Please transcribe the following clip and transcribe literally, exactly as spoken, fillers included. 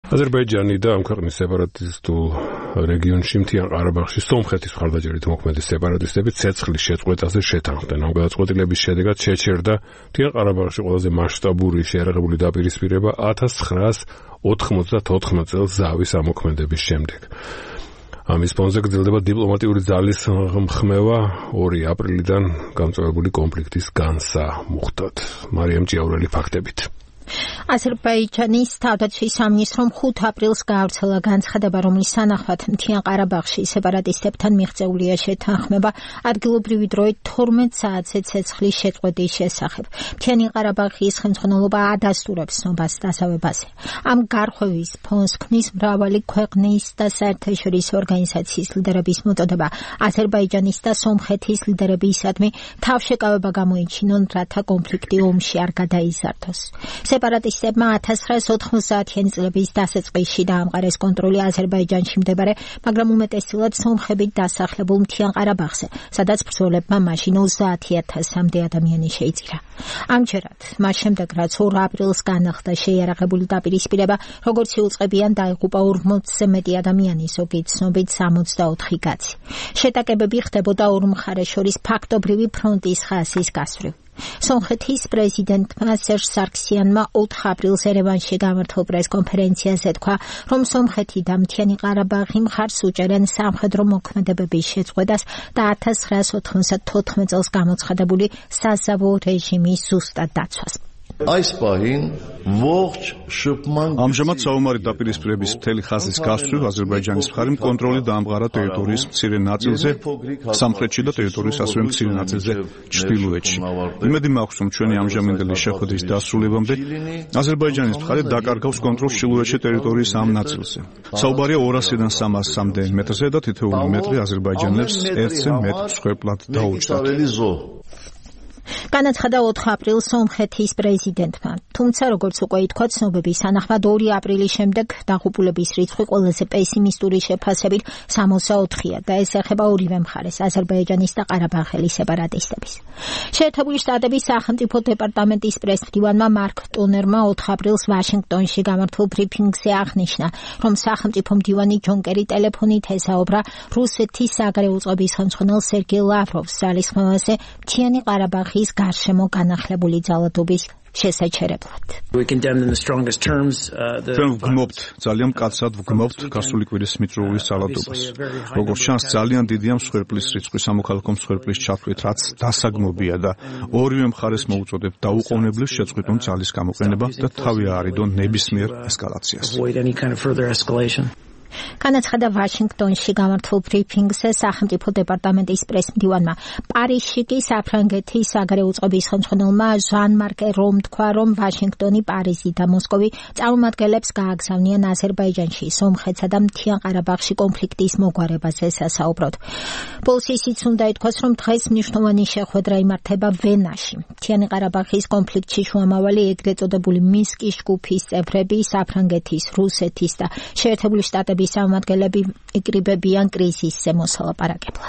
აზერბაიჯანი და ამ ქვეყნის სეპარატისტულ რეგიონში მთიან ყარაბაღში სომხეთის მხარდაჭერით მოქმედი სეპარატისტები ცეცხლის შეწყვეტაზე შეთანხმდნენ. ამ გადაწყვეტილების შედეგად შეჩერდა მთიან ყარაბაღში ყველაზე მასშტაბური შეიარაღებული დაპირისპირება ათას ცხრაას ოთხმოცდათოთხმეტ წელს ზავის ამოქმედების შემდეგ. ამის ფონზე გრძელდება დიპლომატიური ძალის ხმევა ორი აპრილიდან გამწვავებული კონფლიქტის განსამუხტად. მარიამ ჭიაურელი ფაქტებით. აზერბაიჯანის თავდაცვის სამინისტრომ ხუთ აპრილს გაავრცელა განცხადება, რომლის სანახავად მთიან ყარაბაღში სეპარატისტებთან მიღწეულია შეთანხმება ადგილობრივი დროით თორმეტ საათზე ცეცხლის შეწყვეტის შესახებ. მთიანი ყარაბაღის ხელმძღვანელობა ადასტურებს ცნობას დასავებაზე. ამ გარღვევის ფონს ქმნის მრავალი ქვეყნის და საერთაშორისო ორგანიზაციის ლიდერების მოწოდება აზერბაიჯანის და სომხეთის ლიდერებისადმი თავშეკავება გამოიჩინონ, რათა კონფლიქტი ომში არ გადაიზარდოს. სეპარატისტებმა ათას ცხრაას ოთხმოცდაათიანი წლების დასაწყისში დაამყარეს კონტროლი აზერბაიჯანში მდებარე, მაგრამ უმეტესწილად სომხებით დასახლებულ მთიან ყარაბაღზე, სადაც ბრძოლებმა მაშინ ოცდაათი ათასამდე ადამიანი შეიწირა. ამჯერად, მას შემდეგ რაც ორ აპრილს განახლდა შეიარაღებული დაპირისპირება, როგორც იუწყებიან დაიღუპა ორმოცზე მეტი ადამიანი, ზოგი ცნობით სამოცდაოთხი კაცი. შეტაკებები ხდებოდა ორ მხარეს შორის ფაქტობრივი ფრონტის ხაზის გასწვრივ. სომხეთის პრეზიდენტმა სერჟ სარქსიანმა ოთხ აპრილს ერევანში გამართულ პრესკონფერენციაზე თქვა, რომ სომხეთი და მთიანი ყარაბაღი მხარს უჭერენ სამხედრო მოქმედებების შეწყვეტას და ათას ცხრაას ოთხმოცდათოთხმეტ წელს გამოცხადებული საზავო რეჟიმის ზუსტად დაცვას. ამჟამად საომარი დაპირისპირების მთელი ხაზის გასწვრივ აზერბაიჯანის მხარემ კონტროლი დაამყარა ტერიტორიის მცირე ნაწილზე სამხრეთში და ტერიტორიის ასევე მცირე ნაწილზე ჩრდილოეთში. იმედი მაქვს, რომ ჩვენი ამჟამინდელი შეხვედრის დასრულებამდე აზერბაიჯანის მხარე დაკარგავს კონტროლს ჩრდილოეთში ტერიტორიის ამ ნაწილზე. საუბარია ორასიდან სამასამდე მეტრზე და თითოეული მეტრი აზერბაიჯანელებს ერთზე მეტ მსხვერპლად დაუჯდათ. განაცხადა ოთხ აპრილს სომხეთის პრეზიდენტმა. თუმცა, როგორც უკვე ითქვა, ცნობების სანახმად ორი აპრილის შემდეგ დაღუპულების რიცხვი ყველაზე პესიმისტური შეფასებით სამოცდაოთხია და ეს ეხება ორივე მხარეს, აზერბაიჯანის და ყარაბაღელი სეპარატისტების. შეერთებული შტატების სახელმწიფო დეპარტამენტის პრესმდივანმა მარკ ტონერმა ოთხ აპრილს ვაშინგტონში გამართულ ბრიფინგზე აღნიშნა, რომ სახელმწიფო მდივანი ჯონ კერი ტელეფონით ესაუბრა რუსეთის საგარეო წყობის ხელმძღვანელ სერგეი ლავროვს ძალისხმევაზე მთიანი ყარაბაღის გარშემო განახლებული ძალადობის შესაჩერებლად. ჩვენ ვგმობთ, ძალიან მკაცრად ვგმობთ გასული კვირის მიწურულის ძალადობას. როგორც ჩანს, ძალიან დიდია მსხვერპლის რიცხვი სამოქალაქო მსხვერპლის ჩათვლით, რაც დასაგმობია და ორივე მხარეს მოუწოდებ დაუყოვნებლივ შეწყვეტონ ძალის გამოყენება და თავი აარიდონ ნებისმიერ ესკალაციას. განაცხადა ვაშინგტონში გამართულ ბრიფინგზე სახელმწიფო დეპარტამენტის პრესმდივანმა. პარიზში კი საფრანგეთის საგარეო წყობის ხელმძღვანელმა ჟან-მარკ ერომ თქვა, რომ ვაშინგტონი, პარიზი და მოსკოვი წარმომადგენლებს გააგზავნიან აზერბაიჯანში, სომხეთსა და მთიან ყარაბაღში კონფლიქტის მოგვარებაზე სასაუბროდ. პოლიციის უნდა ითქვას, რომ დღეს მნიშვნელოვანი შეხვედრა იმართება ვენაში. მთიანი ყარაბაღის კონფლიქტში შუამავალი ეგრეთ წოდებული მინსკის ჯგუფის წევრები, საფრანგეთის, რუსეთის და შეერთებული შტატების წარმომადგენლები იკრიბებიან კრიზისზე მოსალაპარაკებლად.